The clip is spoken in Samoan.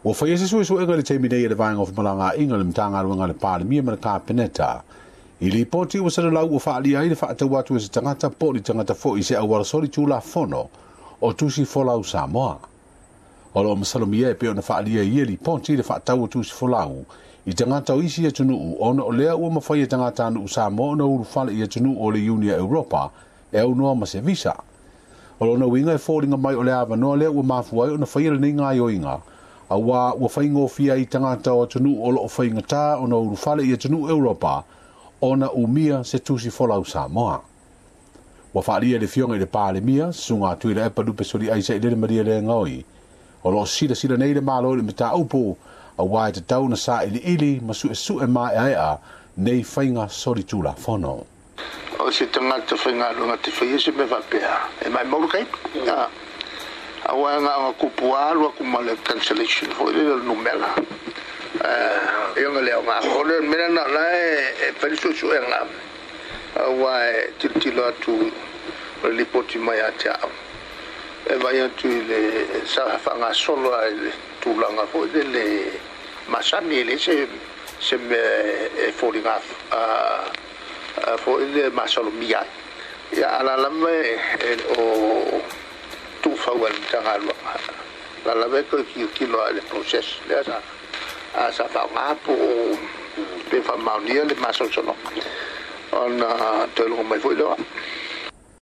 Ua faia se suesuega i le taimi nei e le Vaega o Femalagaaiga a le Matagaluega a le Palemia ma le Kapeneta i lipoti ua salalau ua faaalia ai le faatau atu e se tagata po o ni tagata foi i se auala solitulafono o tusi folau Samoa. O lo o masalomia e pei ona faaalia i ia lipoti le faatau o tusi folau i tagata o isi atunuu ona o lea ua mafai e tagatanuu Samoa ona ulufale i atunuu o le Iuni a Europa e aunoa ma se visa. O lona uiga e foliga mai o le avanoa lea ua mafua ai ona faia lenei gaoioiga, auā ua faigofie ai i tagata o atunuu o lo o faigata ona ulufale i atunuu Europa ona umia se tusi folau Samoa. Ua faaalia e le Afioga i le Palemia, Susuga Tuilaepa Lupe Soliai Sailele Malielegaoi, o lo o silasila nei le Malo i le mataupu, auā e tatau ona sailiili ma suesue maeaea nei faiga solitulafono. O se tagata faigaluega te faia se mea faapea, e maumau le taimi. Aua e na ona tupu lava alu atu ma le cancellation foi lele o le numera. E ona le aoga. O le mea lena o la e fai le suesuega, aua e tilotilo atu o le lipoti mai ia te au, e vaai atu i le sa faagasolo lava i le tulaga foi lele masani, e leai se mea e foliga foi le masalomia ai. Ia, a la lava e o tuufau e le Matagaluega, la lava e toe tilotilo lava i le process lea sa faaaoga po o pe faamaonia le masalosaloga ona toe logo mai foi lea.